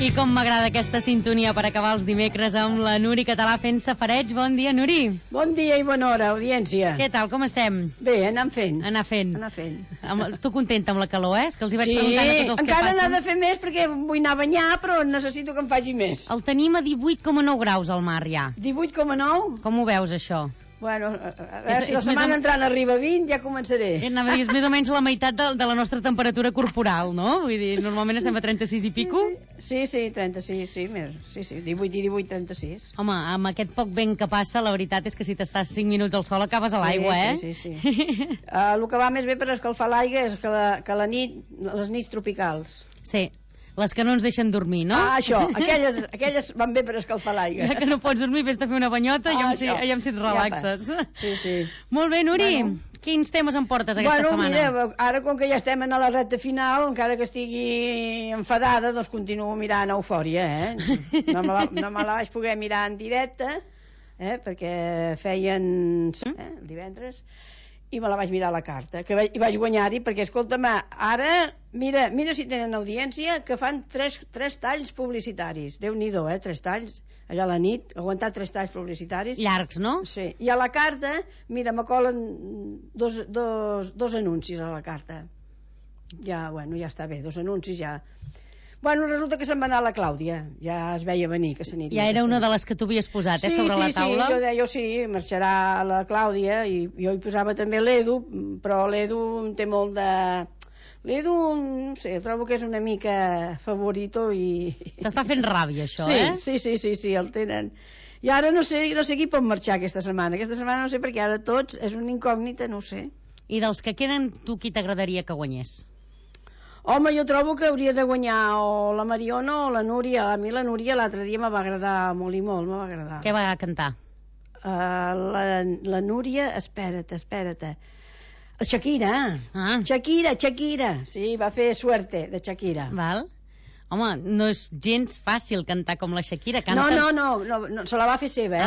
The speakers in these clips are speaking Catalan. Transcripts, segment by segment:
I com m'agrada aquesta sintonia per acabar els dimecres amb la Nuri Català fent safareig. Bon dia, Nuri. Bon dia i bona hora, audiència. Què tal, com estem? Bé, anem fent. Anar fent. Tu contenta amb la calor, És que els hi vaig preguntant a tots els que passen. Sí, encara n'ha de fer més perquè vull anar a banyar, però necessito que em faci més. El tenim a 18,9 graus al mar, ja. 18,9? Com ho veus, això? Bueno, a veure si la setmana entrant arriba a 20 ja començaré. Anava a dir, és més o menys la meitat de la nostra temperatura corporal, no? Vull dir, normalment estem a 36 i pico. Sí, 36, sí, més. Sí, 18 i 18, 36. Home, amb aquest poc vent que passa, la veritat és que si t'estàs 5 minuts al sol acabes a l'aigua, Sí. El que va més bé per escalfar l'aigua és que la nit, les nits tropicals. Sí. Les que no ens deixen dormir, no? Ah, això, aquelles van bé per escalfar l'aigua. Ja que no pots dormir, vés a fer una banyota i allà si et relaxes. Sí. Molt bé, Nuri, quins temes em portes aquesta setmana? Mira, ara com que ja estem a la recta final, encara que estigui enfadada, doncs continuo mirant Eufòria, No me la vaig poder mirar en directe, perquè feien el divendres, i me la vaig mirar a la carta, i vaig guanyar-hi, perquè, escolta'm, ara, mira si tenen audiència, que fan tres talls publicitaris. Déu-n'hi-do, 3 talls, allà a la nit, aguantar 3 talls publicitaris. Llargs, no? Sí, i a la carta, mira, me colen dos anuncis a la carta. Ja està bé, 2 anuncis ja... Bueno, resulta que se'n va anar la Clàudia. Ja es veia venir que s'aniria. Ja era una de les que tu havies posat, sobre la taula? Sí, jo deia, marxarà la Clàudia, i jo hi posava també l'Edu, però l'Edu té molt de... L'Edu, no sé, trobo que és una mica favorito i... T'està fent ràbia, això, Sí, el tenen. I ara no sé qui pot marxar aquesta setmana. Aquesta setmana no sé, perquè ara tots és una incògnita, no ho sé. I dels que queden, tu qui t'agradaria que guanyés? Home, jo trobo que hauria de guanyar o la Mariona o la Núria. A mi la Núria l'altre dia me va agradar molt i molt, me va agradar. Què va cantar? La Núria, espera't. Shakira. Shakira. Sí, va fer Suerte, de Shakira. Val. Home, no és gens fàcil cantar com la Shakira. No, se la va fer seva,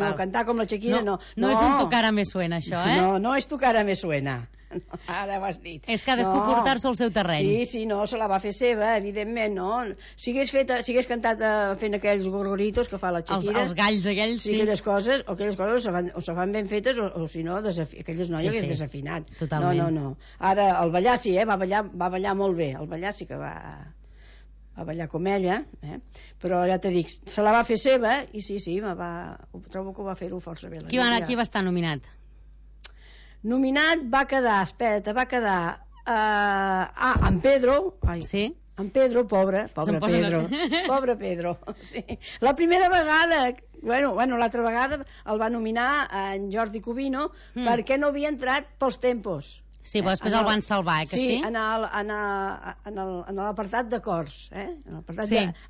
No, cantar com la Shakira no. No és un Tu cara me suena, això, No és Tu cara me suena. Ara ho has dit. És cadascú portar-se al seu terreny. Sí, se la va fer seva, evidentment, no? Si hagués cantat fent aquells gorgoritos que fa la Shakira... Els galls aquells, sí. Aquelles coses o se fan ben fetes o si no, aquelles noies hagués desafinat. Totalment. No. Ara, el ballar sí, va ballar molt bé. El ballar sí que va ballar com ella, però ja t'he dit, se la va fer seva i sí, trobo que ho va fer-ho força bé. Qui va estar nominat? Nominat va quedar en Pedro. Sí? En Pedro, pobre Pedro. Sí. La primera vegada, l'altra vegada el va nominar en Jordi Cubino perquè no havia entrat pels tempos. Sí, però després el van salvar, que sí? Sí, en l'apartat de cors, en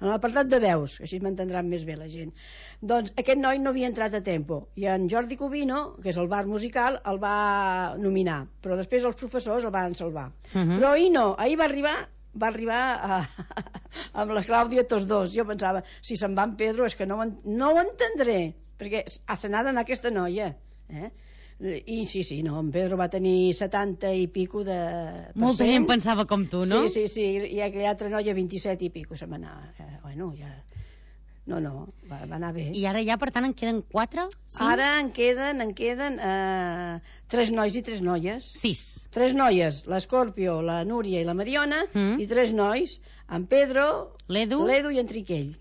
l'apartat de veus, així m'entendran més bé la gent. Doncs aquest noi no havia entrat a tempo, i en Jordi Cubino, que és el bar musical, el va nominar, però després els professors el van salvar. Però ahir no, ahir va arribar amb la Clàudia tots dos. Jo pensava, si se'n va en Pedro és que no ho entendré, perquè se n'ha d'anar aquesta noia, i sí, no, en Pedro va tenir 70 i pico de... Molta gent pensava com tu, no? Sí, i aquella altra noia 27 i pico se m'anà. No, va anar bé. I ara ja, per tant, en queden 4? 5? Ara en queden 3 nois i 3 noies. 6. 3 noies, l'Escorpio, la Núria i la Mariona, i 3 nois, en Pedro, l'Edu i en Triquell.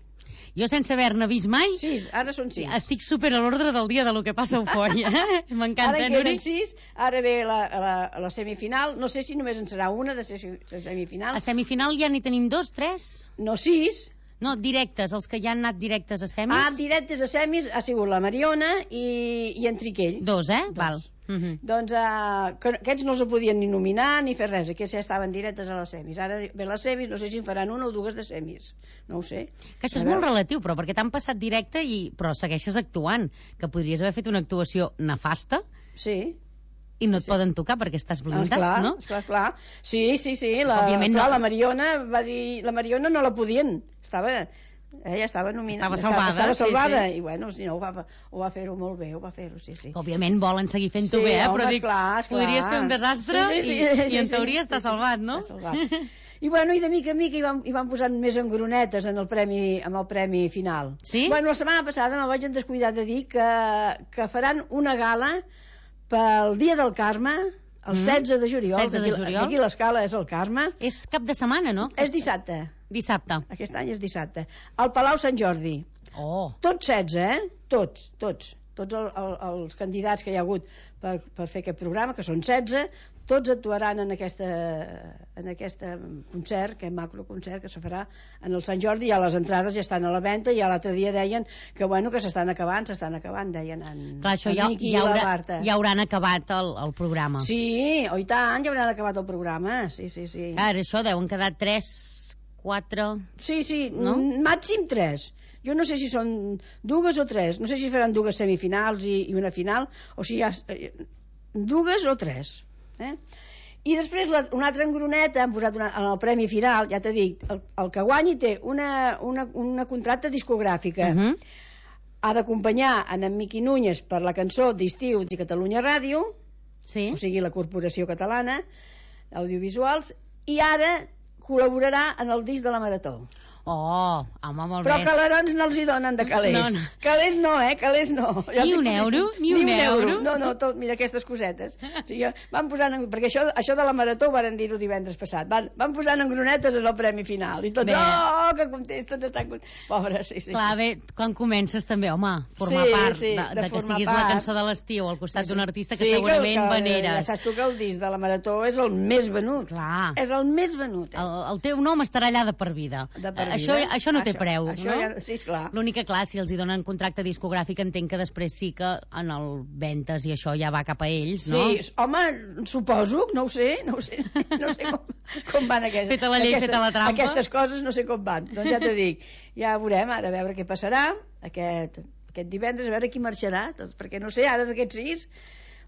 Jo, sense haver-ne vist mai... 6, ara són 6. Estic super a l'ordre del dia de lo que passa a Eufòria. M'encanta, Núria. Ara en queden 6, ara ve la semifinal. No sé si només en serà una de semifinal. A semifinal ja n'hi tenim 2, 3? No, 6. No, directes, els que ja han anat directes a semis. Directes a semis ha sigut la Mariona i en Triquell. 2, Val. Doncs aquests no els podien ni nominar ni fer res, aquests ja estaven directes a les semis. Ara ve les semis, no sé si en faran 1 o 2 de semis, no ho sé. Que això és molt relatiu, però perquè t'han passat directe però segueixes actuant, que podries haver fet una actuació nefasta. Sí. I no et poden tocar perquè estàs blindat, no? Esclar. Sí, la Mariona va dir... La Mariona no la podien, ella estava nominada, estava salvada, i bueno, si no, ho va fer-ho molt bé, sí. Òbviament volen seguir fent-ho bé, però dic, podries fer un desastre i en teoria està salvat, no? I de mica en mica hi van posant més engronetes amb el premi final. Sí? Bueno, la setmana passada me vaig descuidar de dir que faran una gala pel Dia del Carme, el 16 de juliol. 16 de juliol. Aquí l'escala és el Carme. És cap de setmana, no? És dissabte. Dissabte. Aquest any és dissabte. Al Palau Sant Jordi. Oh. Tots 16, Tots els candidats que hi ha hagut per fer aquest programa, que són 16, tots actuaran en aquest concert, aquest macroconcert que se farà en el Sant Jordi. Ja les entrades ja estan a la venda, i l'altre dia deien que s'estan acabant, deien Clar, això en Miqui i la Marta. Ja hauran acabat el programa. Sí, i tant, ja hauran acabat el programa, sí. Ara, això deuen quedar 3, 4... Sí, no? Màxim 3. Jo no sé si són 2 o 3, no sé si faran 2 semifinals i una final, o si hi ha 2 o 3. I després una altra engroneta han posat en el premi final, ja t'he dit, el que guanyi té una contracta discogràfica. Ha d'acompanyar en Miqui Núñez per la cançó d'estiu de Catalunya Ràdio, sí. O sigui la Corporació Catalana d'Audiovisuals, i ara col·laborarà en el disc de la Marató. Oh, home, molt bé. Però calerons no els hi donen de calés. No. Calés no, calés no. Ni un euro? Ni un euro? No, tot, mira aquestes cosetes. O sigui, van posant, perquè això de la Marató ho van dir-ho divendres passat. Van posant engronetes en el premi final. I tots, que contents, tots estan contents. Pobres, sí. Clar, bé, quan comences també, home, formar part de que siguis la cançó de l'estiu al costat d'un artista que segurament veneres. Ja saps tu que el disc de la Marató és el més venut. Clar. És el més venut. El teu nom estarà allà de per vida. Això no té preu, no? Sí, esclar. L'únic que, clar, si els hi donen contracte discogràfic, entenc que després sí que en el ventes i això ja va cap a ells, no? Sí, home, suposo, no ho sé com van aquestes... Feta la llei, feta la trampa. Aquestes coses no sé com van, doncs ja t'ho dic. Ja veurem, ara a veure què passarà aquest divendres, a veure qui marxarà, perquè no sé, ara d'aquests 6...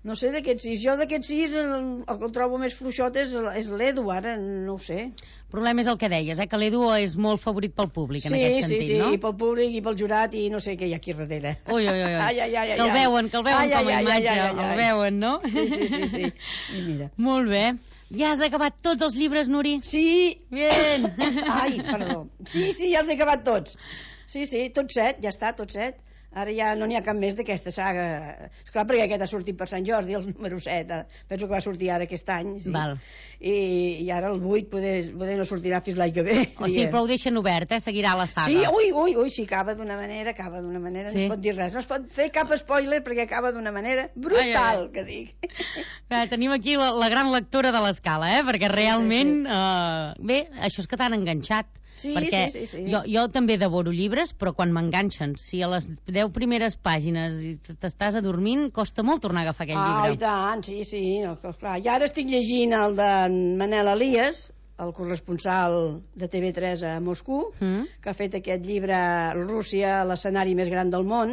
No sé d'aquests 6. Jo d'aquests 6 el que el trobo més fluixot és l'Edu, ara no ho sé. El problema és el que deies, que l'Edu és molt favorit pel públic en aquest sentit, no? Sí, i pel públic i pel jurat i no sé què hi ha aquí darrere. Ui. Que el veuen com a imatge, el veuen, no? Sí. I mira. Molt bé. Ja has acabat tots els llibres, Nuri? Sí. Bien. Ai, perdó. Sí, ja els he acabat tots. Sí, tots 7, ja està, tots 7. Ara ja no n'hi ha cap més d'aquesta saga. Esclar, perquè aquest ha sortit per Sant Jordi, el número 7. Penso que va sortir ara aquest any. Sí. Val. I ara el 8 poder no sortirà fins l'any que ve. O sigui, però ho deixen obert, seguirà la saga. Sí, sí, acaba d'una manera, sí. No es pot dir res. No es pot fer cap spoiler perquè acaba d'una manera brutal, que dic. Tenim aquí la gran lectora de l'escala, perquè realment... Bé, això és que t'han enganxat. Sí, perquè sí. Jo també devoro llibres, però quan m'enganxen, si a les 10 primeres pàgines t'estàs adormint, costa molt tornar a agafar aquell llibre. I tant, sí. No, clar. I ara estic llegint el de Manel Elias, el corresponsal de TV3 a Moscou, que ha fet aquest llibre Rússia, l'escenari més gran del món,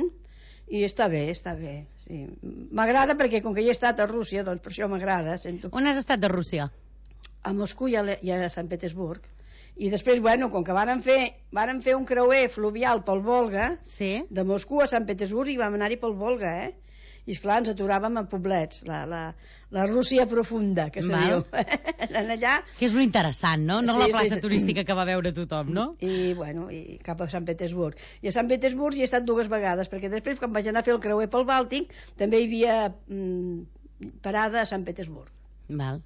i està bé. Sí. M'agrada perquè com que hi he estat a Rússia, doncs per això m'agrada. On has estat de Rússia? A Moscou i a Sant Petersburg. I després, com que varen fer un creuer fluvial pel Volga, de Moscou a Sant Petersburg, i vam anar-hi pel Volga, I esclar, ens aturàvem a poblets, la Rússia profunda, que se diu. Allà... Que és molt interessant, no? No la plaça turística que va veure tothom, no? I cap a Sant Petersburg. I a Sant Petersburg hi he estat 2 vegades, perquè després, quan vaig anar a fer el creuer pel Bàltic, també hi havia parada a Sant Petersburg. Val,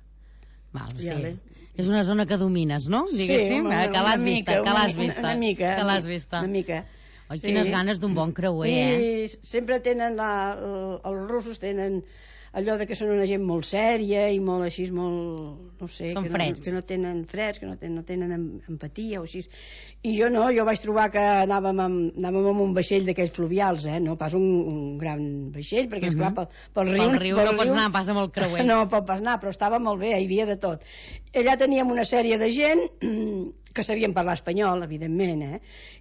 sí. És una zona que domines, no? Diguéssim, que l'has vista. Una mica. Oi, quines ganes d'un bon creuer, I sempre tenen, els russos tenen allò de que són una gent molt sèria i molt així, molt, no sé, són freds. Que no tenen freds, que no tenen empatia o així. I jo no, jo vaig trobar que anàvem amb un vaixell d'aquells fluvials, no pas un gran vaixell, perquè esclar, pel riu no pots anar pas amb el creuer. No pot pas anar, però estava molt bé, hi havia de tot. Allà teníem una sèrie de gent que sabien parlar espanyol, evidentment,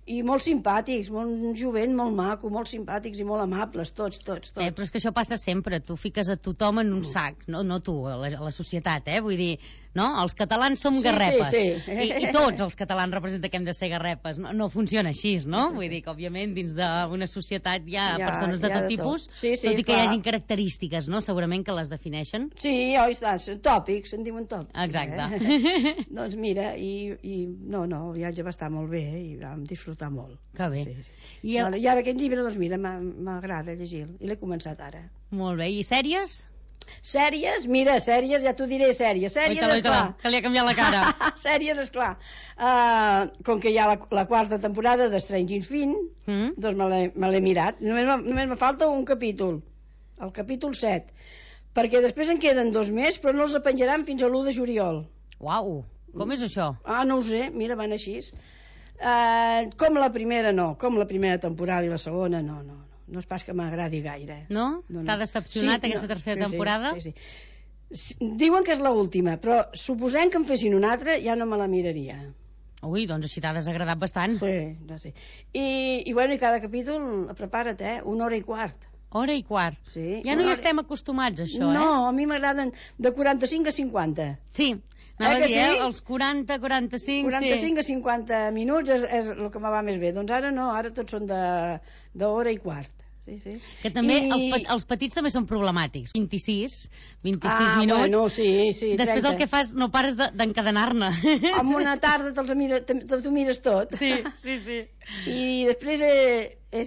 i molt simpàtics, molt jovent, molt maco, molt simpàtics i molt amables, tots. Però és que això passa sempre, tu fiques a tothom en un sac, no tu, a la societat, vull dir, no? Els catalans som garrepes. Sí. I tots els catalans representen que hem de ser garrepes. No funciona així, no? Vull dir que, òbviament, dins d'una societat hi ha persones de tot tipus, tot i que hi hagin característiques, no? Segurament que les defineixen. Sí, oi, tòpics, en diuen tòpics. Exacte. Doncs mira, el viatge va estar molt bé i vam disfrutar molt. Que bé. Sí. I ara aquest llibre, doncs mira, m'agrada llegir-lo i l'he començat ara. Molt bé. I sèries? Sèries, mira, ja t'ho diré, sèries, esclar. Que li ha canviat la cara. Sèries, esclar. Com que hi ha la quarta temporada de Stranger Things, doncs me l'he mirat. Només me falta un capítol, el capítol 7, perquè després en queden 2 més, però no els penjaran fins a l'1 de juliol. Uau, com és això? No ho sé, mira, van així. Com la primera temporada i la segona, no és pas que m'agradi gaire. No? T'ha decepcionat aquesta tercera temporada? Sí. Diuen que és l'última, però suposem que en fessin una altra ja no me la miraria. Ui, doncs així t'ha desagradat bastant. Sí. I cada capítol, prepara't, 1 hora i quart. Hora i quart. Sí. Ja no hi estem acostumats, això, No, a mi m'agraden de 45 a 50. Sí. Anava a dir, els 40, 45... 45 a 50 minuts és el que me va més bé. Doncs ara no, ara tots són d'hora i quart. Sí. Que també els petits també són problemàtics. 26 minuts. Bueno, sí. Després 30. el que fas, no pares d'encadenar-ne. En una tarda t'ho mires tot. Sí. I després he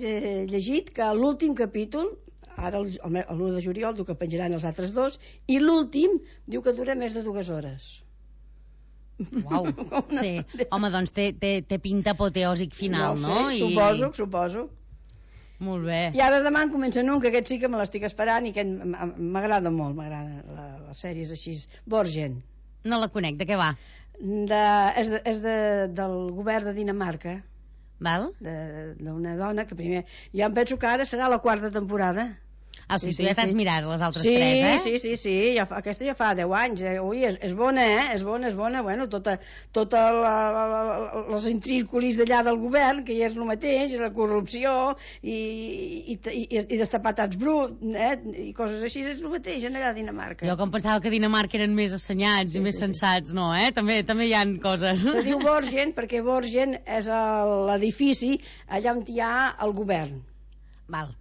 llegit que l'últim capítol, ara l'1 de juliol, diu que penjaran els altres 2, i l'últim diu que dura més de 2 hores. Uau, sí. Home, doncs té pinta apoteòsic final, no? Suposo. Molt bé. I ara demà en comencen un, que aquest sí que me l'estic esperant i que m'agrada molt, les sèries així. Borgen. No la conec, de què va? És del govern de Dinamarca. Val? D'una dona que primer... Ja em penso que ara serà la 4ª temporada. Sí, tu ja t'has mirat les altres 3, Sí, aquesta ja fa 10 anys. Ui, és bona, És bona. Bueno, tota les intrínculis d'allà del govern, que ja és el mateix, la corrupció i destapar taps bruts, i coses així, és el mateix allà a Dinamarca. Jo com pensava que a Dinamarca eren més assenyats i més sensats, no, També hi ha coses. Se diu Borgen perquè Borgen és l'edifici allà on hi ha el govern. Val.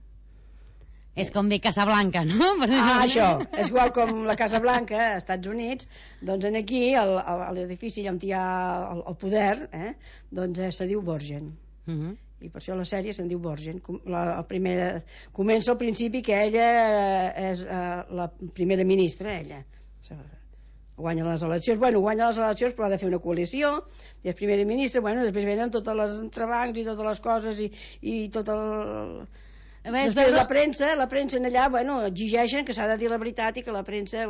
És com dir Casablanca, no? Això. És igual com la Casa Blanca, als Estats Units, doncs aquí, a l'edifici on hi ha el poder, doncs se diu Borgen. I per això la sèrie se'n diu Borgen. La primera comença al principi que ella és la primera ministra, ella. Guanya les eleccions, però ha de fer una coalició, i és primera ministra, després venen totes les entrebancs i totes les coses i tot el... Després la premsa en allà, exigeixen que s'ha de dir la veritat i que la premsa,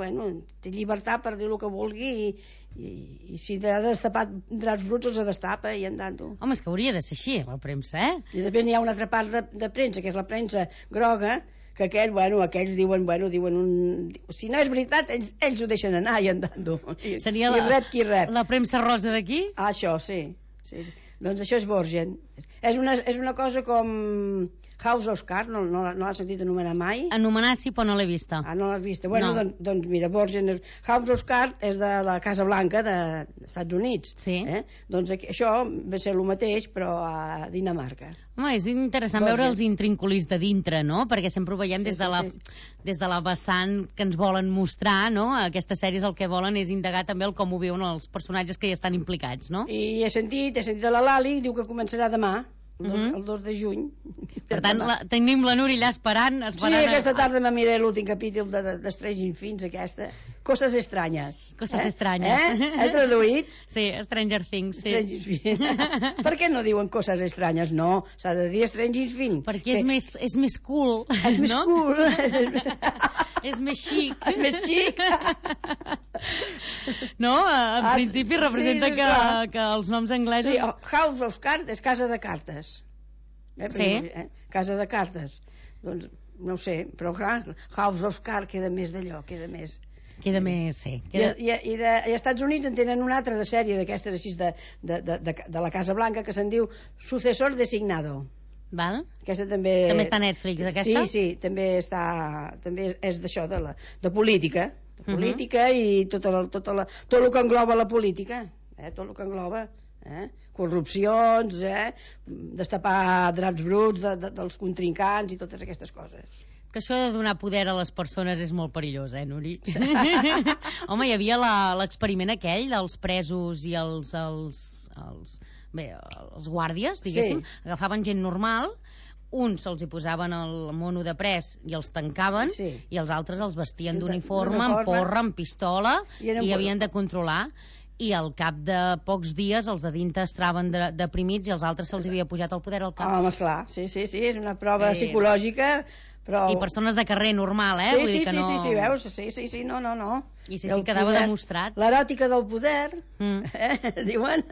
té llibertat per dir el que vulgui i si ha de destapar draps bruts els destapa i andant. Home, és que hauria de ser així, la premsa, I després n'hi ha una altra part de premsa, que és la premsa groga, que aquells diuen si no és veritat, ells ho deixen anar i andant. Seria la premsa rosa d'aquí? Això, sí. Doncs això és Borgen. És una cosa com House of Cards, no l'has sentit anomenar mai? Anomenar sí, però no l'he vista. No l'has vista. Doncs mira, Borgen, House of Cards és de la Casa Blanca dels Estats Units. Sí. Doncs això va ser el mateix, però a Dinamarca. Home, és interessant veure els intrínculis de dintre, no? Perquè sempre ho veiem des de la vessant que ens volen mostrar, no? Aquestes sèries el que volen és indagar també el com ho viuen els personatges que hi estan implicats, no? I he sentit de la Lali, diu que començarà demà, el 2 de juny. Per tant, tenim la Núria allà esperant. Sí, aquesta tarda me miré l'últim capítol de Stranger Things, aquesta. Coses estranyes. Coses estranyes. He traduït? Sí, Stranger Things, sí. Per què no diuen coses estranyes? No, s'ha de dir Stranger Things. Perquè és més cool. És més cool. És més xic. És més xic. No? En principi representa que els noms anglesos... Sí, House of Cards és casa de cartes. Sí. Casa de cartes. Doncs, no ho sé, però clar, House of Cards queda més d'allò, queda més, sí. I als Estats Units en tenen una altra de sèrie d'aquestes així de la Casa Blanca que se'n diu Sucesor Designado. Val? Aquesta també està a Netflix, aquesta? Sí, també és d'això, de política. política i tot el que engloba la política, tot el que engloba, corrupcions, destapar draps bruts dels contrincants i totes aquestes coses. Que això de donar poder a les persones és molt perillós, Nuri? Home, hi havia l'experiment aquell dels presos i els guàrdies, diguéssim, agafaven gent normal, uns se'ls hi posaven el mono de pres i els tancaven, i els altres els vestien d'uniforme, amb porra, amb pistola, i havien de controlar. I al cap de pocs dies els de dintre estaven deprimits i els altres se'ls havia pujat el poder al cap. Home, esclar, sí, és una prova psicològica, però... I persones de carrer normal, Vull dir que no... Sí, veus? Sí, no. I sí, quedava demostrat. L'eròtica del poder, diuen.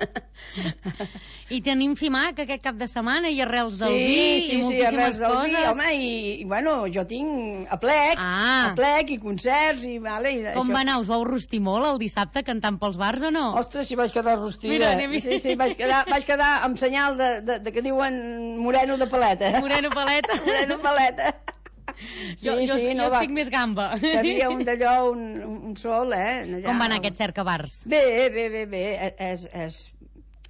I tenim FIMAC aquest cap de setmana i arrels del vi i moltíssimes coses. Vi, home, i bueno, jo tinc aplec i concerts i... Com va anar? Us vau rostir molt el dissabte cantant pels bars o no? Ostres, si vaig quedar rostida. Sí, vaig quedar amb senyal de que diuen moreno de paleta. Moreno paleta. Moreno paleta. Jo estic més gamba. Hi havia un d'allò, un sol, allà. Com va anar aquest cercabars? Bé,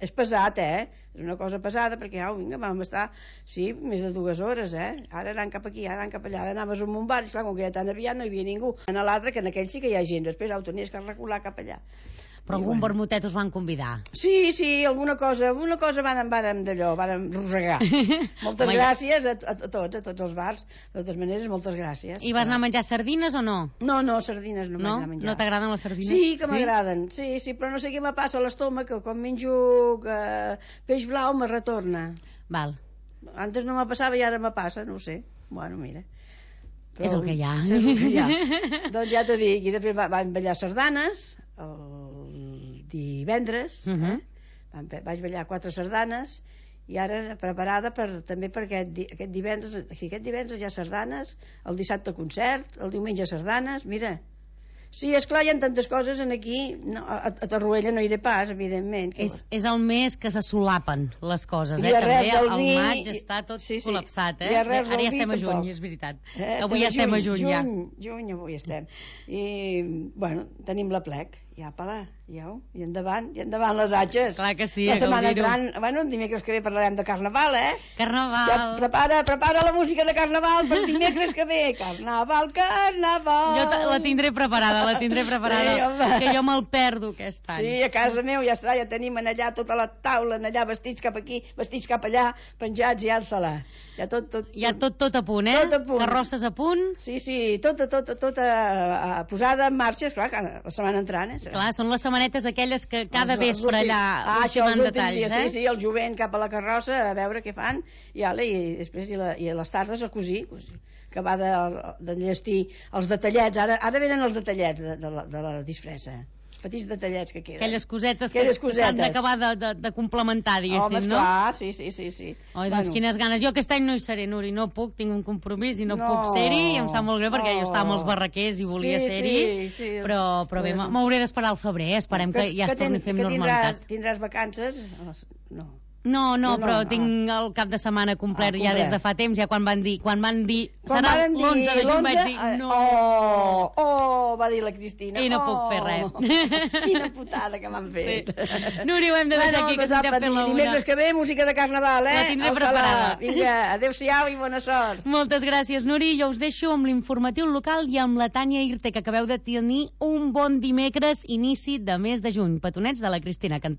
és pesat, és una cosa pesada, perquè vam estar, més de 2 hores, ara anant cap aquí, ara anant cap allà, ara anaves a un bar, i esclar, com que era tan aviat no hi havia ningú. En l'altre, que en aquell sí que hi ha gent, després ho tenies que recular cap allà. Però algun vermutet us van convidar? Sí, alguna cosa vàrem rosegar. Moltes gràcies a tots els bars. De totes maneres, moltes gràcies. I vas anar a menjar sardines o no? No, sardines no vaig anar a menjar. No t'agraden les sardines? Sí, que m'agraden. Sí, però no sé què me passa a l'estómac, que quan menjo peix blau me retorna. Val. Antes no me passava i ara me passa, no ho sé. Bueno, mira. És el que hi ha. Doncs ja t'ho dic. I després vam ballar sardanes el divendres, vaig ballar 4 sardanes i ara preparada també per aquest divendres hi ha sardanes, el dissabte concert, el diumenge sardanes, mira. Sí, esclar, hi ha tantes coses aquí, a Torroella no iré pas, evidentment. És el mes que se solapen les coses, també el maig està tot col·lapsat, ara ja estem a juny, és veritat. Avui ja estem a juny, ja. Juny, avui estem. I, bueno, tenim la plec, i endavant les atxes. Clar que sí, la setmana entrant, bueno, el dimecres que ve parlarem de Carnaval, Carnaval. Prepara la música de Carnaval per dimecres que ve. Carnaval. Jo la tindré preparada, que jo me'l perdo aquest any. Sí, a casa meu ja està, ja tenim allà tota la taula, allà vestits cap aquí, vestits cap allà, penjats i alça-la. Ja tot a punt, Carrosses a punt. Sí, tota posada en marxa, esclar, la setmana entrant, Clar, són les setmanetes aquelles que cada vespre allà ultimant detalls, Sí, el jovent cap a la carrossa a veure què fan i després i a les tardes a cosir, que va d'enllestir els detallets. Ara venen els detallets de la disfressa, els petits detallets que queden. Aquelles cosetes que s'han d'acabar de complementar, diguéssim, no? Home, esclar, sí. Oi, doncs quines ganes. Jo aquest any no hi seré, Nuri, no puc, tinc un compromís i no puc ser-hi, i em sap molt greu perquè jo estava amb els barraquers i volia ser-hi, però bé, m'hauré d'esperar al febrer, esperem que ja es torni a fer amb normalitat. Tindràs vacances? No, però tinc el cap de setmana complet ja des de fa temps, ja quan van dir serà l'11 de juny, vaig dir no. Va dir la Cristina. I no puc fer res. Quina putada que m'han fet. Nuri, ho hem de deixar aquí, que s'ha fet la una. Dimecres que ve, música de Carnaval, La tindré preparada. Vinga, adéu-siau i bona sort. Moltes gràcies, Nuri. Jo us deixo amb l'informatiu local i amb la Tània Irte, que acabeu de tenir un bon dimecres, inici de mes de juny. Petonets de la Cristina cantant.